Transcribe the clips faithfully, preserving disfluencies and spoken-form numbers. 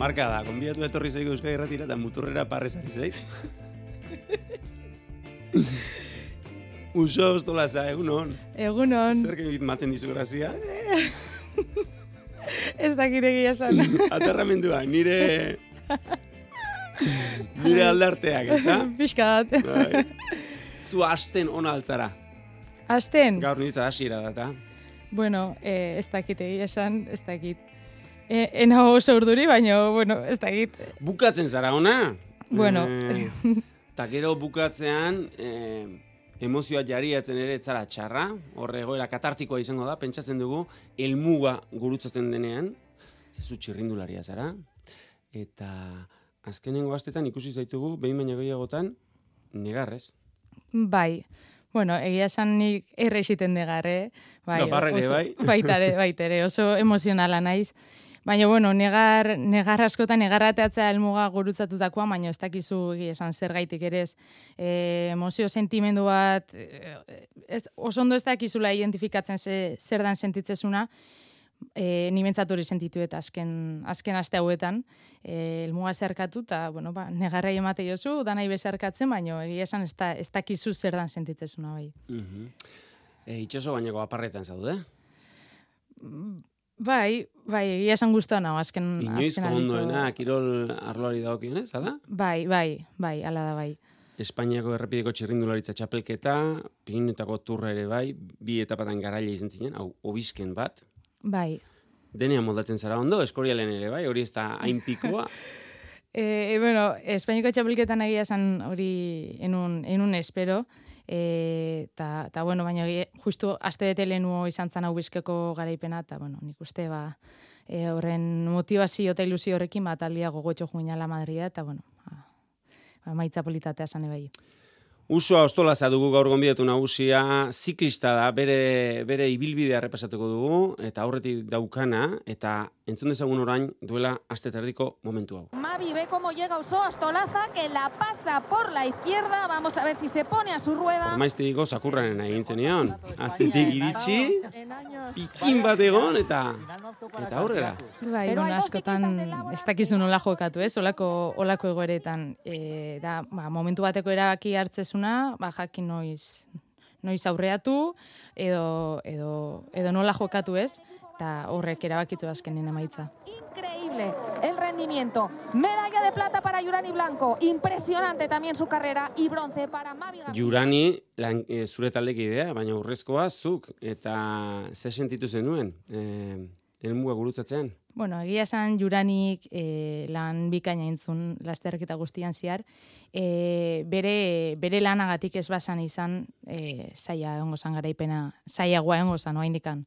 marka da, konbidatu etorri zaiko Euskadi Irratira eta muturrera parrezari zait. Uso ostolaza, egunon. Egunon. Zer egit maten dizu grazia? Ez dakit egia esan. Aterramendua, nire... nire aldarteak, ez da? Pixka bat. Bai. Zu hasten ona altzara. Hasten? Gaur nintza hasiera data. Bueno, eh, ez dakit egia esan, ez dakit. E, ena oso urduri, baina, bueno, ez dakit. Bukatzen zara ona? Bueno. Eta eh, gero bukatzean... Eh, emozioa jariatzen ere etzara txarra, horre egoera katartikoa izango da, pentsatzen dugu, helmuga gurutzatzen denean, zezu txirrindularia zara, eta azkenengo astetan ikusi zaitugu, behin baina gehiagotan, negarrez. Bai, bueno, egia esan nik errexiten negarre, bai, Doparrere, oso, bai. baitare, baitere, oso emozionala naiz. Baina, bueno, negar, negar askotan negarrateatzea helmuga gurutzatutakoa, baina ez dakizu esan zer gaitik ere ez. E, emozio sentimendu bat, ez, oso ondo ez dakizula identifikatzen ze, zer dan sentitzezuna, e, ni bentsat hori sentitu eta azken, azken aste hauetan, e, helmuga zerkatu, eta, bueno, ba, negarrai emate jozu, danai bezarkatzen, baina egia esan ez, da, ez dakizu zer dan sentitzezuna, bai. Uh-huh. e, itxaso bainako aparretan zaude? Bai, bai, egia esan guztuan hau, azken... Inoizko ondoena, kirol arloari dagokionez, ala? Bai, bai, bai, ala da bai. Espainiako errepideko txirrindularitza txapelketa, Pirinetako turra ere bai, bi etapatan garaile izan zinen, hau, obisken bat. Bai. Denean moldatzen zara ondo, eskorialen ere bai, hori ez da hain pikoa. e, bueno, Espainiako txapelketan egia esan hori enun, enun espero, eta, ta, bueno, baina justu aste bete lehenuo izan zan hau bizkeko garaipena, eta, bueno, nik uste, ba, e, horren motivazio eta ilusio horrekin, bat aldia gogotxo juinala Madrida, eta, bueno, ba, ba, maitza politatea zane bai. Usua Ostolaza dugu gaur gonbidatu nagusia, ziklista da, bere, bere ibilbidea repasatuko dugu, eta aurretik daukana, eta entzun dezagun orain duela aste terdiko momentu hau. Mavi ve cómo llega Usua Ostolaza, que la pasa por la izquierda, vamos a ver si se pone a su rueda. Maiztiko zakurranen egin zenion, atzetik iritsi, pikin bat egon, eta eta aurrera. Bai, bueno, askotan ez dakizu nola jokatu, ez? Olako, olako egoeretan, e, da, ba, momentu bateko erabaki hartzezuna, ba, jakin noiz, noiz aurreatu, edo, edo, edo nola jokatu, ez? Eta horrek erabakitu azkenen emaitza. Increíble el rendimiento. Medalla de plata para Jurani Blanco. Impresionante también su carrera. Y bronce para Mavi García. Jurani, lan, e, zure taldeki idea, baina urrezkoa zuk, eta ze sentitu zenuen, e, helmuga gurutzatzean? Bueno, egia esan Juranik e, lan bikaina intzun lasterketa guztian zehar. E, bere, bere lanagatik ez bazan izan e, zaila egongo zan garaipena, zailagoa egongo zan, oa indikan.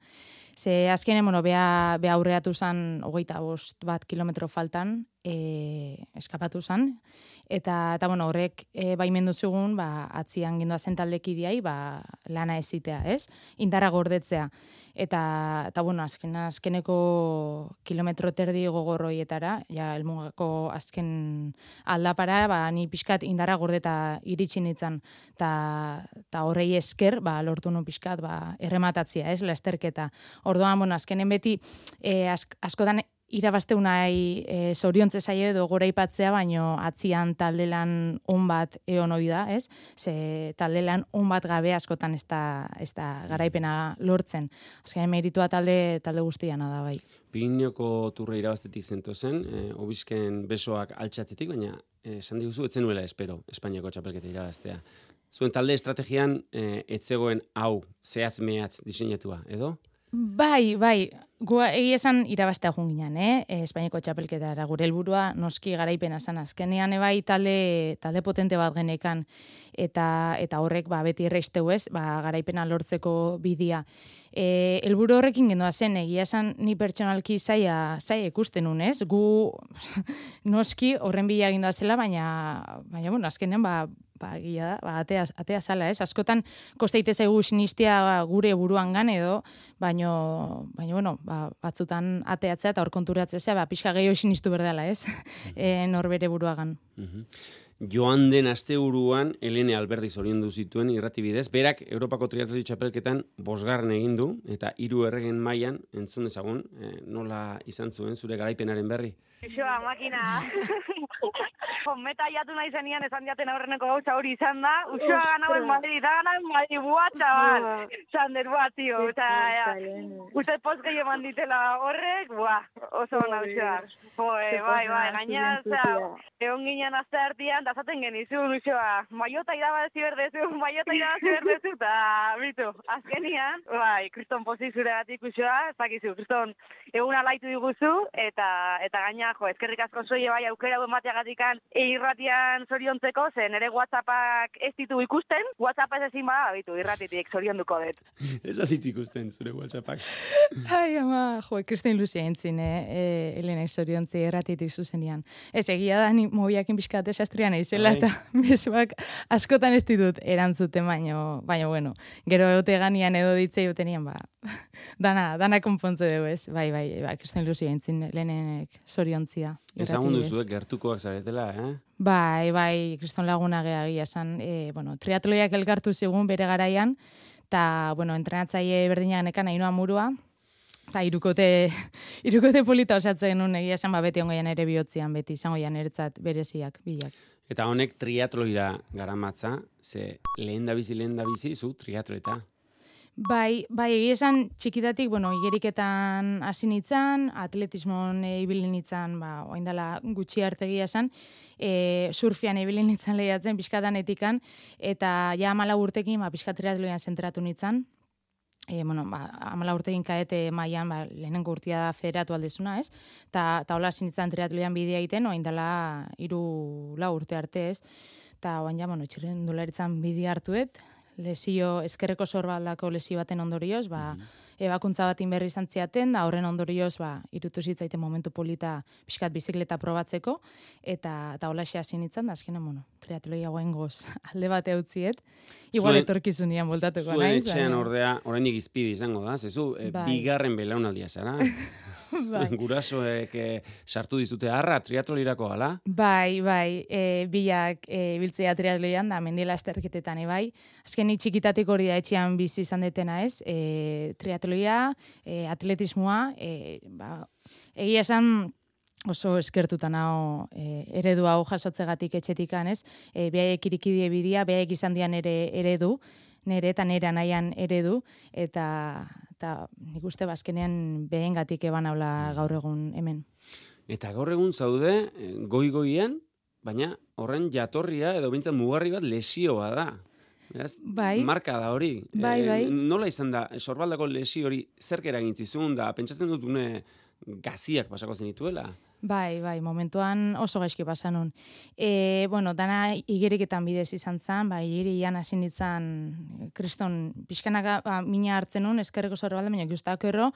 Ze azkenen, bueno, beha, beha aurreatu zan hogeita bost bat kilometro faltan, e, eskapatu zan, eta, eta bueno, horrek e, baimendu zigun, ba, atzian gindoa zentaldekidiai, ba, lana ezitea, ez? Indarra gordetzea. Eta, eta bueno, azken, azkeneko kilometro terdi gogorroietara, ja, elmugako azken aldapara, ba, ni pixkat indarra gordeta iritsi nintzen, eta horrei esker, ba, lortu nun pixkat, ba, errematatzia, ez, lasterketa. Orduan, bueno, azkenen beti, e, ask, askotan irabazteu nahi e, zoriontze zaio edo goraipatzea, baino atzian talde lan on bat egon hori da, ez? Ze talde lan on bat gabe askotan ez da, ez da garaipena lortzen. Azkenean meritua talde, talde guztiana da, bai. Pirineko turra irabaztetik zentozen, e, obisken besoak altxatzetik, baina esan e, diguzu, etzen nuela espero, Espainiako txapelketa irabaztea. Zuen talde estrategian e, etzegoen hau, zehatz mehatz diseinatua, edo? Bai, bai, gu egia esan irabaztea joan ginen, eh? Espainiako txapelketara gure helburua noski garaipena zan azkenean ebai talde, talde potente bat genekan, eta, eta horrek ba, beti erreizteu ez, ba, garaipena lortzeko bidia. E, helburu horrekin gendoa zen, egia esan ni pertsonalki zaila, zaila ikusten nun, ez? Gu noski horren bila gindoa zela, baina, baina bueno, azkenen ba, ba, gila da, ba, atea, atea zala, ez? Askotan kosteite zaigu sinistia gure buruan gan edo, baino, baino, bueno, ba, batzutan ateatzea eta hor konturatzea, ba, pixka gehiago sinistu berdala, ez? e, norbere buruagan. Uh-huh. Joan den asteburuan Helene Alberdi zoriondu zituen irratibidez, berak Europako triatloi txapelketan bosgarren egin du, eta hiru erregen mailan entzun dezagun, eh, nola izan zuen zure garaipenaren berri? Uxoa, makina. Meta jatu nahi zenian, esan diaten aurreneko gauza hori izan da. Uxoa ganauen Madrid, da ganauen Madrid, buah, txabal. Sander, buah, tio. Uste poz gehi eman ditela horrek, buah, oso gana Uxoa. Bai, bai, gaina, egon ginen azte hartian, da zaten genizun, Uxoa. Maiota irabazi berdezu, maiota irabazi berdezu, eta bitu, azkenian, bai, kriston pozik zure batik Uxoa, ez dakizu, kriston egun alaitu diguzu, eta eta gaina, jo, eskerrik asko zoie bai aukera duen bateagatikan irratian zoriontzeko, zen ere WhatsAppak ez ditu ikusten, WhatsApp ez ezin bada, bitu, irratitik zorionduko dut. Ez azit ikusten zure WhatsAppak. Ai, ama, jo, kristin luzia entzin, eh, Elena zoriontzi irratitik zuzenian. Ez egia da, ni mobiakin pixkat esastrian eizela, eta mezuak askotan ez ditut erantzuten, baino, baino, bueno, gero egote ganian edo ditzei utenian, ba, dana, dana konpontze dugu, ez? Bai, bai, bai, kristin luzia entzin, Lehenenek zoriontzia. Ezagun duzuek gertukoak zaretela, eh? Bai, bai, kriston laguna gehiagia esan, e, bueno, triatloiak elkartu zigun bere garaian, eta, bueno, entrenatzaile berdinak nekan Ainhoa Murua, eta irukote, irukote polita osatzen nun egia esan, ba, beti ongoian ere bihotzian, beti izango jan eretzat bereziak, bilak. Eta honek triatloira garamatza, ze lehen da bizi, lehen da bizi, zu triatleta. Bai, bai, egia esan txikitatik, bueno, igeriketan hasi nintzen, atletismon e, ibili nintzen, ba, oindala gutxi arte egia esan, e, surfian ibili nintzen lehiatzen, pixkatan etikan, eta ja amala urtekin, ba, pixka triatloian zentratu nintzen. E, bueno, ba, amala urtekin kaete mailan, ba, lehenengo urtia da federatu aldezuna, ez? Ta, ta hola zinitzen triatloian bidea egiten, oindala iru lau urte arte, ez? Ta oain ja, bueno, txirrendularitzan bidea hartuet, lesio, eskerreko sorbaldako lesio baten ondorioz, ba, mm-hmm. ebakuntza batin berri izan ziaten, da horren ondorioz, ba, irutu zitzaiten momentu polita pixkat bizikleta probatzeko, eta, eta holaxe hasi nintzen, da, azkenean, bueno, triatloia goengoz alde bate utziet, igual etorkizunian voltatuko naiz. Zuen etxean ordea, oraindik izpide izango da, zezu, e, bigarren belaunaldia zara. Bai. Gurasoek e, sartu dizute harra triatlolirako gala? Bai, bai, e, bilak e, biltzea triatloian da, mendila esterketetan, e, bai. Azken ni txikitatik hori da etxean bizi izan detena, ez? E, triatloia, e, atletismoa, e, ba, egia esan oso eskertuta nao e, eredu hau jasotzegatik etxetikan, ez? E, behaiek irikidie bidia, behaiek izan dian ere eredu, nere eta nere anaian eredu, eta eta nik uste bazkenean behengatik eban haula gaur egun hemen. Eta gaur egun zaude goi-goien, baina horren jatorria edo bintzen mugarri bat lesioa da. Beraz, bai. Marka da hori. Bai, bai. E, nola izan da, sorbaldako lesio hori zerk eragintzizun da, pentsatzen dut une gaziak pasako zenituela? Bai, bai, momentuan oso gaizki pasanun. E, bueno, dana igeriketan bidez izan zen, bai, igerian hasi nintzen kriston pixkanaka ba, mina hartzen nun, eskerreko sorbalda, baina guztak erro,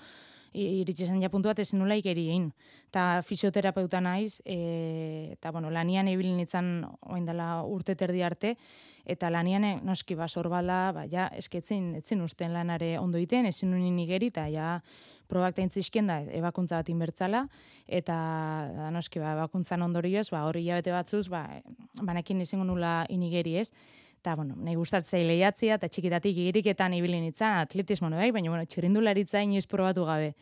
iritsi zen ja puntu bat ezin nula igeri egin. Eta fisioterapeuta naiz, e, eta bueno, lanian ibili nintzen oindala urte terdi arte, eta lanian noski ba, sorbalda, ba, ja, esketzin, etzin usten lanare ondo iten, ezin nunin igeri, eta ja, probak taintzizkien da, ebakuntza bat inbertzala, eta da, noski, ba, ebakuntzan ondorioz, ba, hori jabete batzuz, ba, banekin izango nula inigeri ez, eta, bueno, nahi gustatzei lehiatzia, eta txikitatik igiriketan ibili nintzen, atletismo bai, baina, bueno, txirrindularitza inoiz probatu gabe.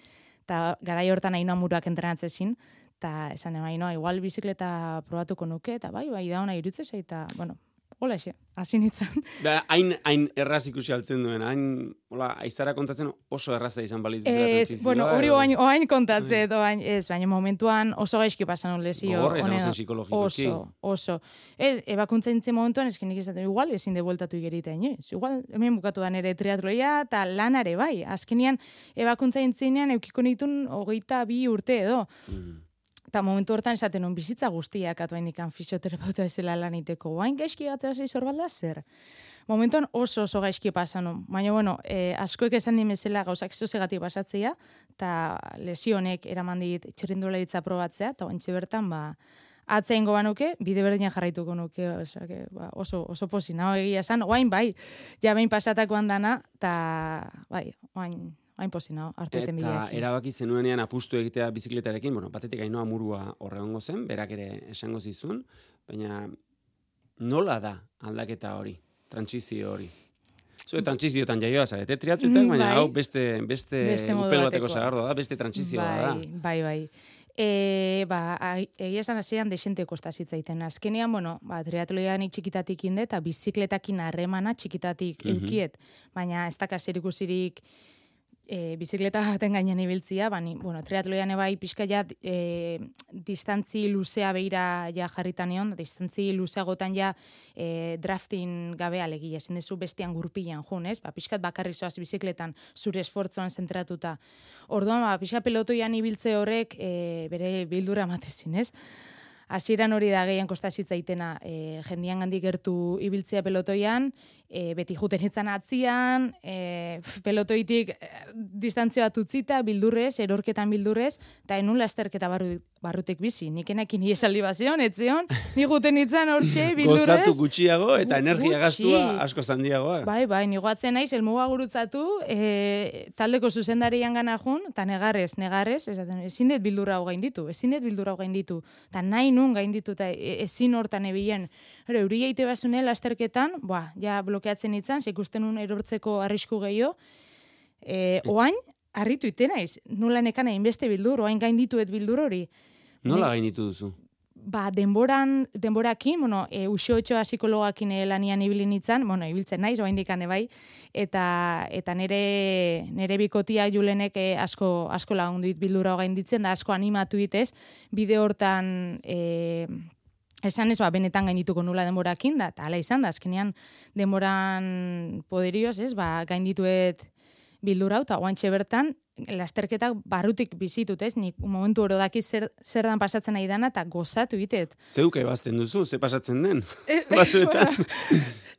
Eta garai hortan Ainhoa Muruak entrenatzezin, eta esan ema, Ainhoa, igual bizikleta probatuko nuke, eta bai, bai, da hona irutzezei, eta, bueno, hola xe, hasi nintzen. Da, hain, hain erraz ikusi altzen duen, hain, hola, aizara kontatzen oso erraza izan baliz bizaratu zizioa. Ez, bueno, hori oain, oain kontatze, oain, ez, baina momentuan oso gaizki pasan un lesio. Gogorra izan zen psikologikoki. Oso, oso. Ez, ebakuntza nintzen momentuan, ez genik esaten, igual ezin de bueltatu igerita inoiz. Igual, hemen bukatu da nere triatloia, eta lanare bai. Azkenian, ebakuntza nintzenean, eukiko nitun hogeita bi urte edo. Mm. Eta momentu hortan esaten un bizitza guztiak atuain ikan fisioterapeuta ezela laniteko. Oain gaizki gatera zei zorbalda zer. Momentuan oso oso gaizki pasanun. Baina, bueno, eh, askoek esan dimezela gauzak zozegatik pasatzea, eta lesionek eraman dit txirrindularitza probatzea, eta ointxe bertan, ba, atzein goba nuke, bide berdinak jarraituko nuke, oso, que, ba, oso, oso posi, naho egia esan, oain bai, ja behin pasatakoan dana, eta bai, oain, hain pozina, hartu eten bideak. Eta erabaki zenuenean apustu egitea bizikletarekin, bueno, batetik Ainhoa Murua horregongo zen, berak ere esango zizun, baina nola da aldaketa hori, trantsizio hori? Zue trantsiziotan jaioa zarete triatletak, baina bai. Hau beste, beste, beste upel bateko zagardoa da, beste trantsizioa bai, da. Bai, bai. E, ba, egia esan hasieran desente kosta zitzaiten. Azkenean, bueno, ba, triatloian txikitatik inde, eta bizikletakin harremana txikitatik mm -hmm. eukiet. Baina ez daka zerikusirik e, bizikleta baten gainean ibiltzia, bani, bueno, triatloian ebai pixka ja e, distantzi luzea beira ja jarritan egon, distantzi luzeagotan ja e, drafting gabe alegia, zen dezu bestian gurpilan jun, ez? Ba, pixkat bakarri zoaz bizikletan zure esfortzoan zentratuta. Orduan, ba, pixka pelotoian ibiltze horrek e, bere bildura amatezin, ez? Hasieran hori da gehien kosta zitzaitena, e, jendian gandik gertu ibiltzea pelotoian, e, beti juten itzan atzian, e, pelotoitik e, distantzio bat utzita, bildurrez, erorketan bildurrez, eta enun lasterketa barru, barrutek bizi. Nik enakin esaldi bazion, etzion, ni juten itzan hortxe, bildurrez. Gozatu gutxiago eta energia Gutxi. gastua asko zandiagoa. Bai, bai, nigoatzen naiz, elmuga gurutzatu, e, taldeko zuzendarian gana jun, eta negarrez, negarrez, esaten, ezin dut bildurra hau gainditu, ezin dut bildurra hau gainditu, eta nahi nun gainditu, eta ezin hortan ebilen. Hore, euri jaite basune lasterketan, ba, ja blokeatzen itzan, ikusten nun erortzeko arrisku gehiago, e, oain, harritu ite naiz, nula nekana inbeste bildur, oain gaindituet bildur hori. Nola gainditu duzu? Ba, denboran, denborakin, bueno, e, Uxo Otxoa psikologakin lanian ibilin itzan, bueno, ibiltzen naiz, oain dikane bai, eta, eta nere, nere bikotia Julenek e, asko, asko lagunduit bildura gainditzen, da asko animatu itez, bide hortan, e, esan ez, ba, benetan gaindituko nula denborakin, da, eta ala izan da, azkenean denboran poderioz, ez, ba, gaindituet bildura, eta oantxe bertan, lasterketak barrutik bizitut, ez? Nik momentu oro daki zer, zer dan pasatzen nahi dana, eta gozatu itet. Zeuke bazten duzu, ze pasatzen den? Batzuetan.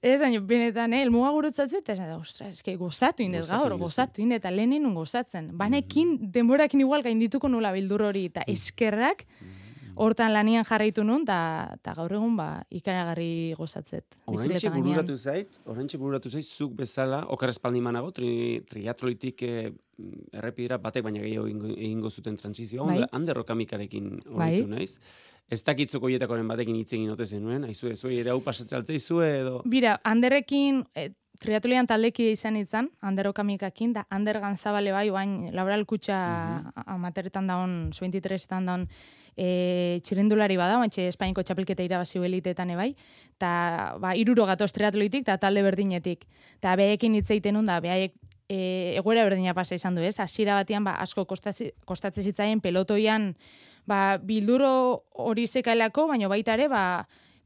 Ez, baina, benetan, eh, elmuga gurutzatzen, eta da, ostras, eske, gozatu indet gaur, gozatu indet, eta lehenen nun gozatzen. Banekin, denborakin igual gaindituko nula bildur hori, eta eskerrak, hortan lanian jarraitu nun, eta gaur egun, ba, ikaragarri gozatzet. Orantxe bururatu zait, orantxe bururatu zait, zuk bezala, okarrezpaldi manago, tri, triatloitik eh, errepidera batek baina gehiago egingo, egingo zuten transizioa, bai. Ander Rokamikarekin horitu bai. Naiz. Ez dakitzoko hietakoren batekin hitz egin ote zenuen, haizu, ez, ere hau pasatzen altzei edo... Bira, Anderrekin... Eh, triatloian taldeki izan itzan, Ander Okamikakin, da Ander Ganzabale bai, oain Laboral Kutxa uh-huh. amateretan daun, su veintitresen daun, e, txirrindulari bada, oantxe Espainiko txapelketa irabazi eliteetan ebai, eta ba, iruro gatoz triatloitik, eta talde berdinetik. Eta behekin hitzeiten nun, da behaiek e, egoera berdina pasa izan du, ez? Hasiera batean, ba, asko kostatzen zitzaien pelotoian, ba, bilduro hori zekaelako, baina baita ere, ba,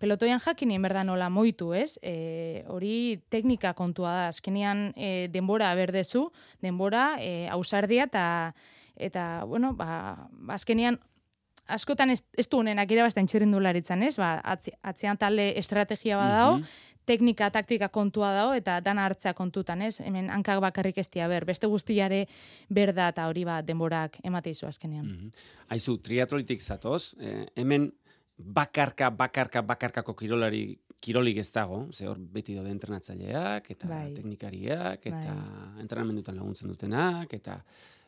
pelotoian jakinien berda nola moitu, ez? E, hori teknika kontua da. Azkenean e, denbora berdezu, denbora, e, ausardia, eta, eta bueno, ba, azkenean, askotan ez, ez du honenak irabazten txirrindularitzan, ez? Ba, atzi, atzian talde estrategia badao, mm-hmm. teknika, taktika kontua dago, eta dana hartzea kontutan, ez? Hemen hankak bakarrik ez dia ber, beste guztiare berda, eta hori ba, denborak emateizu azkenean. Mm-hmm. Aizu, triatlolitik zatoz, eh, hemen bakarka, bakarka, bakarkako kirolari, kirolik ez dago, ze hor beti daude entrenatzaileak, eta bai. Teknikariak, eta bai. Entrenamendutan laguntzen dutenak, eta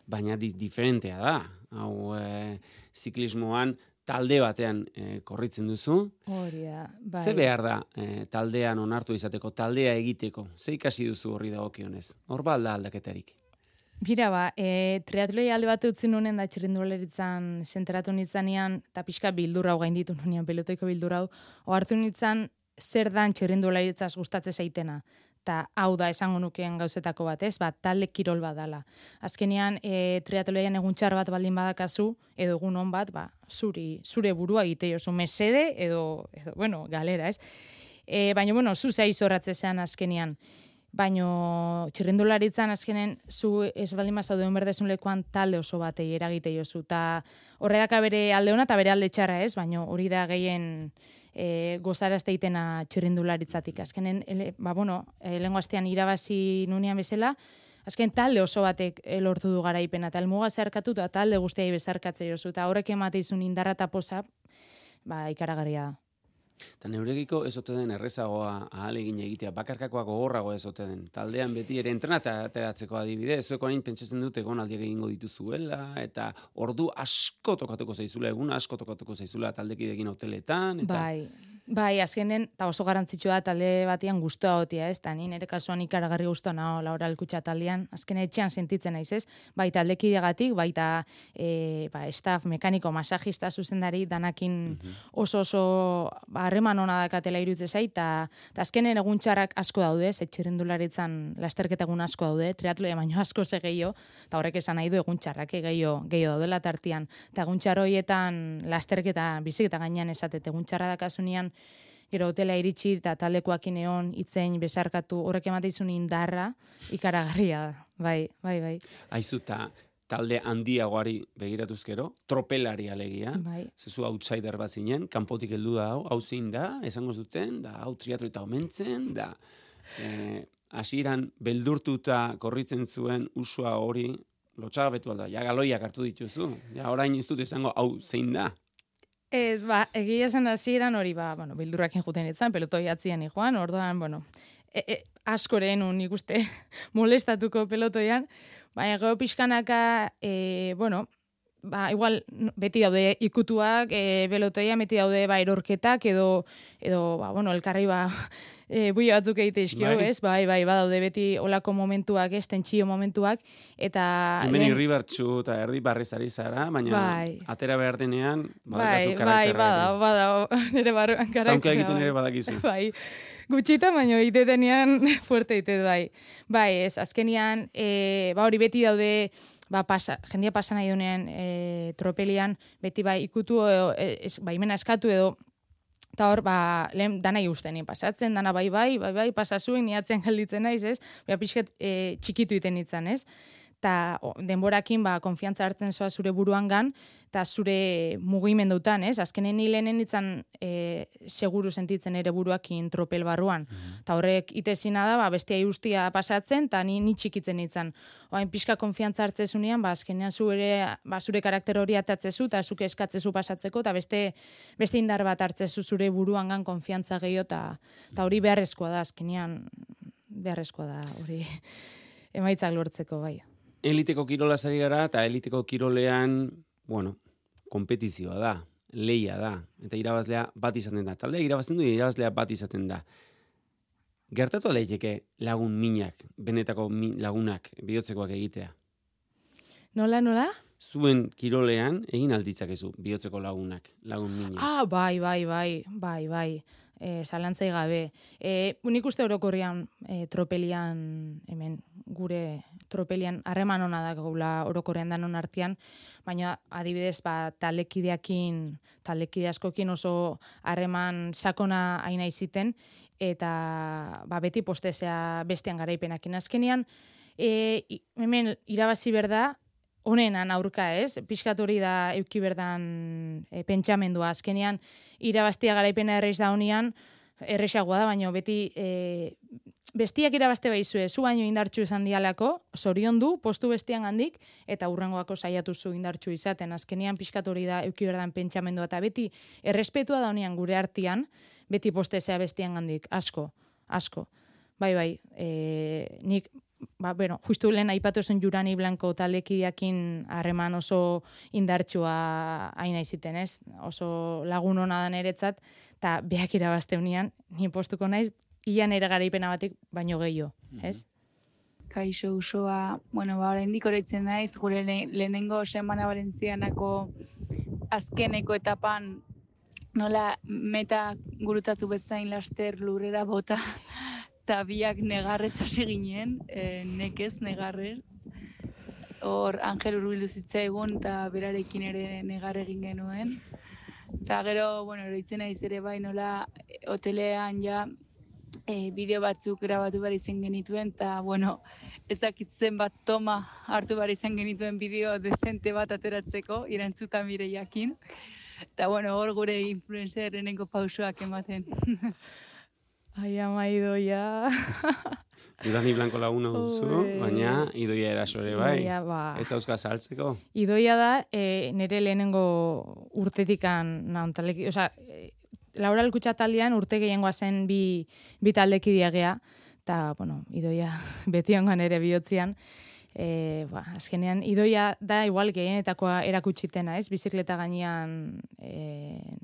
baina di, diferentea da. Hau, e, ziklismoan talde batean e, korritzen duzu. Hori da, bai. Ze behar da e, taldean onartu izateko, taldea egiteko? Ze ikasi duzu horri dagokionez? Hor ba alda aldaketarik? Bira ba, e, triatloi alde bat utzin nunen da txirrindularitzan zentratu nitzanean, eta pixka bildurra hau gainditu nunean, pelotoiko bildurra hau, ohartu nitzan zer dan txirrindularitzaz gustatze zaitena. Eta hau da esango nukeen gauzetako bat, ez? Ba, talde kirol bat dala. Azkenean, e, triatloian egun txar bat baldin badakazu, edo egun on bat, ba, zuri, zure burua egite jozu, mesede, edo, edo bueno, galera, ez? E, baina, bueno, zu zaiz horratzezean azkenean. Baino txirrindularitzan azkenen zu ez baldin bazauduen berdezun lekuan talde oso batei eragite jozu. Ta horredaka bere alde ona eta bere alde txarra ez, baino hori da gehien e, gozarazte itena txirrindularitzatik. Azkenen, ele, ba bueno, e, lehengo astean irabazi nunean bezala, azken talde oso batek lortu du garaipena, eta elmuga zeharkatu eta talde guztiai bezarkatze jozu. Eta horrek emateizun indarra eta posa, ba, ikaragarria da. Eta neuregiko ez ote den errezagoa ahalegin egitea, bakarkakoa gogorrago ez ote den. Taldean beti ere entrenatza ateratzeko adibide, zueko hain pentsatzen dute egonaldiak egingo dituzuela, eta ordu asko tokatuko zaizula, egun asko tokatuko zaizula taldekidekin hoteletan. Eta... Bai, Bai, azkenen, eta oso garantzitsua da talde batean guztua gotia, ez? Ta ni nire kasuan ikaragarri guztua nao Laura Alkutxa taldean, azken etxean sentitzen naiz, ez? Bai taldekideagatik, baita e, ba, staff, mekaniko, masajista, zuzendari, danakin oso oso harreman ona dakatela iruditzen zait, eta azkenen egun txarrak asko daude, ez? Txirrindularitzan lasterketa egun asko daude, triatloia baino asko ze gehiago, eta horrek esan nahi du egun txarrak gehiago gehiago daudela tartian. Eta egun txarroietan lasterketa, biziketa gainean esatet, egun txarra dakasunean, gero hotela iritsi eta taldekoakin egon itzein besarkatu horrek emateizun indarra ikaragarria da. Bai, bai, bai. Aizu, ta talde handiagoari begiratuz gero, tropelari alegia, bai. Zezu outsider bat zinen, kanpotik heldu da hau, hau zein da, esango zuten, da hau triatlo eta omentzen, da eh, hasieran beldurtuta korritzen zuen usua hori, lotxagabetu alda, ja galoiak hartu dituzu, ja orain ez dut esango hau zein da. Ez, ba, egia esan hasieran hori, ba, bueno, bildurrakin juten itzan, pelotoi atzian joan, orduan, bueno, e, e, askoren un ikuste molestatuko pelotoian, baina gero pixkanaka, e, bueno, ba, igual, beti daude ikutuak, e, pelotoia, beti daude, ba, erorketak, edo, edo, ba, bueno, elkarri, ba, e, buio batzuk egite izkio, bai. Ez? Bai, bai, badaude beti olako momentuak, ez, tentsio momentuak, eta... Hemen irri bertxu eta erdi barriz ari zara, baina bai. Atera behar denean, badakazu karakterra. Bai, badao, badao, nire barruan karakterra. Zaunka egiten ere badakizu. Bai, gutxita, baina ite denean fuerte ite, bai. Bai, ez, azkenian, e, ba, hori beti daude... Ba, pasa, jendia pasa nahi dunean e, tropelian, beti bai ikutu, edo, es, baimena eskatu edo, eta hor, ba, lehen dana igusten pasatzen, dana bai bai, bai bai, pasazuen, niatzen galditzen naiz, ez? Ba, pixket e, txikitu iten itzan, ez? Eta denborakin, ba, konfiantza hartzen zoa zure buruan gan, eta zure mugimendutan, ez? Azkenen hilenen itzan e, seguru sentitzen ere buruakin tropel barruan. Eta horrek itezina da, ba, bestia guztia pasatzen, eta ni, ni txikitzen itzan. Oain pixka konfiantza hartzezunean, ba, azkenean zure, ba, zure karakter hori atatzezu, eta zuke eskatzezu pasatzeko, eta beste, beste indar bat hartzezu zure buruan gan konfiantza gehiago, eta hori beharrezkoa da, azkenean beharrezkoa da, hori emaitzak lortzeko, bai. Eliteko kirola zari gara, eta eliteko kirolean, bueno, kompetizioa da, leia da, eta irabazlea bat izaten da. Taldea irabazten du, irabazlea bat izaten da. Gertatu leiteke lagun minak, benetako min, lagunak, bihotzekoak egitea? Nola, nola? Zuen kirolean egin alditzakezu bihotzeko lagunak, lagun minak. Ah, bai, bai, bai, bai, bai. E, zalantzai gabe. E, unik uste orokorrian e, tropelian, hemen gure tropelian harreman ona da gaula orokorrean danon artean, baina adibidez ba, taldekideakin, taldekide askokin oso harreman sakona aina iziten, eta ba, beti postezea bestean garaipenakin. Azkenean, e, hemen irabazi berda, honenan aurka, ez? Pixkat hori da euki berdan e, pentsamendua. Azkenean, irabaztia garaipena erreiz da honean, erresagoa da, baina beti e, bestiak irabazte baizue, zu baino indartxu izan dialako, zorion du, postu bestian handik, eta hurrengoako saiatu zu indartxu izaten. Azkenean, pixkat hori da euki berdan pentsamendua, eta beti errespetua da honean gure artean, beti postezea bestian handik, asko, asko. Bai, bai, e, nik... Ba, bueno, justu lehen aipatu zen Jurani Blanco taldekideakin harreman oso indartsua aina iziten, ez? Oso lagun hona da niretzat, eta beak irabazte unian, ni postuko naiz, ian ere garaipena batik baino gehiago, ez? Kaixo Usoa, bueno, ba, oraindik oroitzen naiz, gure lehenengo semana Valentzianako azkeneko etapan nola meta gurutatu bezain laster lurrera bota, eta biak negarrez hasi ginen, e, nekez negarrez. Hor Angel hurbildu zitzaigun eta berarekin ere negar egin genuen. Eta gero, bueno, oroitzen naiz ere bai nola hotelean ja e, bideo batzuk grabatu behar izan genituen, eta, bueno, ezakitzen bat toma hartu behar izan genituen bideo dezente bat ateratzeko, irantzuta Mireiakin. Eta, bueno, hor gure influencerenengo pausoak ematen. Ai, ama idoia. Jurani Blanco laguna duzu, baina idoia erasore bai. Idoia, ba. Ez zauzka saltzeko. Idoia da, e, nire lehenengo urtetikan naun taldeki, oza, e, Laura Alkutxa taldean urte gehiengoa zen bi, bi taldeki diagea, eta, bueno, idoia beti ongan ere bihotzian. E, ba, azkenean, idoia da igual gehienetakoa erakutsitena, ez? Bizikleta gainean e,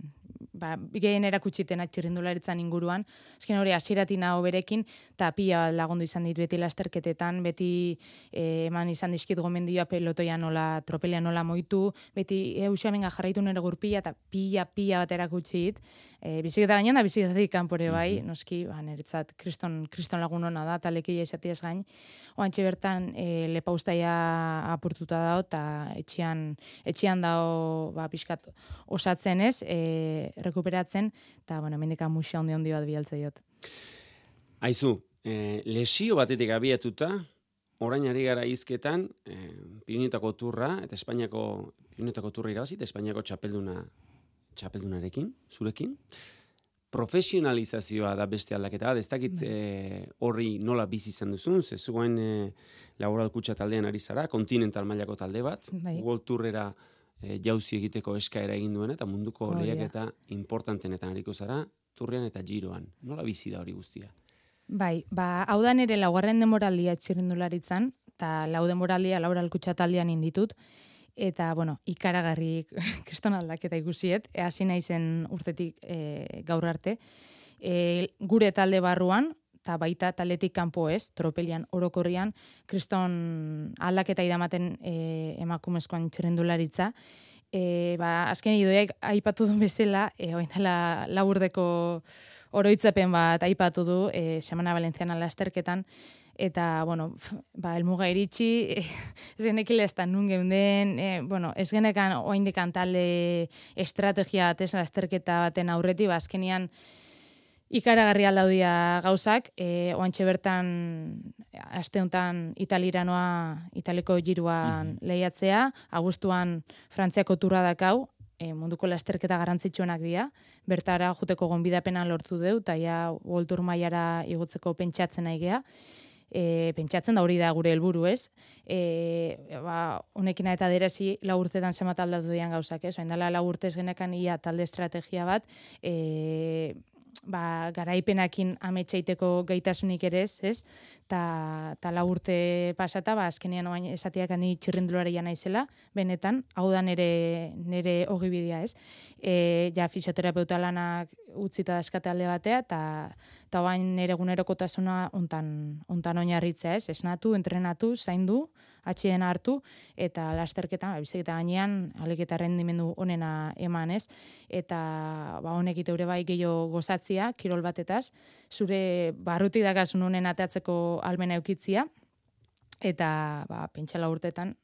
ba, gehien erakutsitenak txirrindularitzan inguruan. Azken hori, hasieratik nago berekin, eta pila lagundu izan dit beti lasterketetan, beti eh, eman izan dizkit gomendioa pelotoia nola, tropelea nola moitu, beti eusiamenga jarraitu nire gurpila, eta pila, pila bat erakutsi dit. E, biziketa gainean da, biziketatik kanpore bai, mm -hmm. noski, ba, niretzat kriston, kriston lagun hona da, eta lekia esatiaz gain. Oantxe bertan, e, lepaustaia apurtuta dao, eta etxian, etxian dao, ba, pixkat osatzen ez, e, rekuperatzen, eta, bueno, mendika musia ondi ondi bat bialtze diot. Aizu, e, lesio batetik abiatuta, orain ari gara hizketan, e, Pirinioetako turra, eta Espainiako, Pirinioetako turra irabazit, Espainiako txapelduna, txapeldunarekin, zurekin. Profesionalizazioa da beste aldaketa bat, ez dakit e, horri nola bizi izan duzun, ze zuen e, Laboral Kutxa taldean ari zara, kontinental mailako talde bat, bai. World Tourera e, jauzi egiteko eskaera egin duen, eta munduko oh, lehiaketa importantenetan ariko zara, turrean eta giroan. Nola bizi da hori guztia? Bai, ba, hau da nire laugarren demoraldia txirrindularitzan, eta lau demoraldia Laboral Kutxa taldean inditut, eta, bueno, ikaragarri kriston aldaketa ikusiet, e, hasi naizen urtetik e, gaur arte. E, gure talde barruan, eta baita taldetik kanpo ez, tropelian orokorrian, kriston aldaketa idamaten e, emakumezkoan txirrindularitza. E, ba, azken idoiak aipatu duen bezala, e, oin dela laburdeko oroitzapen bat aipatu du, e, Semana Valentziana lasterketan, eta, bueno, ba, elmuga iritsi, ez genekile ez da nun geunden, e, bueno, ez genekan oindekan talde estrategia batez lasterketa baten aurreti, ba, azkenian ikaragarri aldaudia gauzak, e, oantxe bertan, aste honetan italiranoa, italiko giruan mm-hmm. lehiatzea, abuztuan Frantziako turra dakau, e, munduko lasterketa garrantzitsuenak dira, bertara joteko gonbidapena lortu deu, eta ja World Tour mailara igotzeko pentsatzen nahi gea. E, pentsatzen da hori da gure helburu ez. E, ba, honekin eta derezi lau urtetan zemat aldatu dian gauzak ez. Oin dela lau urtez genekan ia talde estrategia bat, e, ba, garaipenakin ametsaiteko gaitasunik ere ez, ez? Ta, ta lau urte pasata, ba, azkenean oain esatiak ani txirrindularia naizela, benetan, hau da nere, nere ogibidea ez. E, ja, fisioterapeuta lanak utzita daskate alde batea, eta eta oain nere gunerokotasuna ontan, ontan oinarritzea ez, esnatu, entrenatu, zaindu, atxien hartu, eta lasterketan, ba, biziketa gainean, aliketa rendimendu onena eman ez, eta ba, honek iteure bai gehiago gozatzia, kirol batetaz, zure barruti dakasun honen ateatzeko almena eukitzia, eta ba, pentsala urtetan,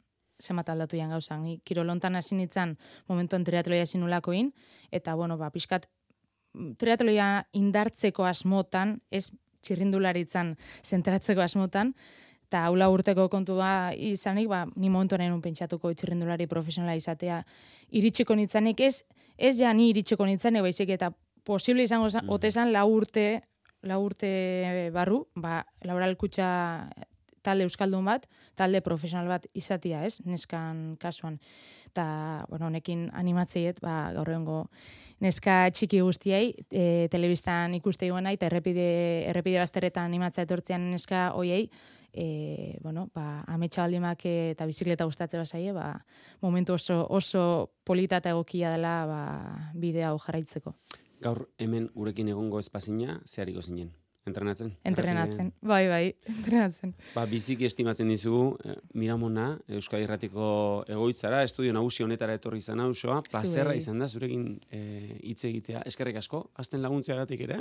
zemat aldatu jan gauzan. Ni kirolontan hasi nintzen momentuan triatloia sinulakoin, eta bueno, ba, pixkat triatloia indartzeko asmotan, ez txirrindularitzan zentratzeko asmotan, eta haula urteko kontua izanik, ba, ni momentu nahi nun pentsatuko txirrindulari profesionala izatea iritsiko nitzanik, ez, ez ja ni iritsiko nitzanik, baizik eta posible izango mm. otezan lau urte, lau urte barru, ba, Laboral Kutxa talde euskaldun bat, talde profesional bat izatia, ez, neskan kasuan. Eta, bueno, honekin animatzeiet, ba, gaur egongo neska txiki guztiei, e, telebistan ikuste iguena, eta errepide, errepide bazterretan animatzea etortzean neska hoiei, e, bueno, ba, ametsa baldimak eta bizikleta gustatze bazaie, ba, momentu oso, oso polita eta egokia dela ba, bidea hau jarraitzeko. Gaur hemen gurekin egongo espazina, zehariko zinen? Entrenatzen? Entrenatzen, Errepide... bai, bai, entrenatzen. Ba, biziki estimatzen dizugu, eh, Miramona, Euskadi Irratiko egoitzara, estudio nagusi honetara etorri izan hausoa, plazerra izan da, zurekin hitz eh, egitea, eskerrik asko, azten laguntzeagatik ere.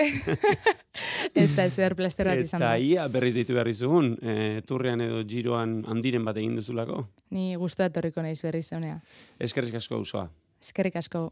Ez da, ez behar plaster bat izan da. Eta ia berriz deitu behar izugun, eh, turrean edo giroan handiren bat egin duzulako. Ni guztua etorriko naiz berriz honea. Eskerrik asko hausoa. Eskerrik asko.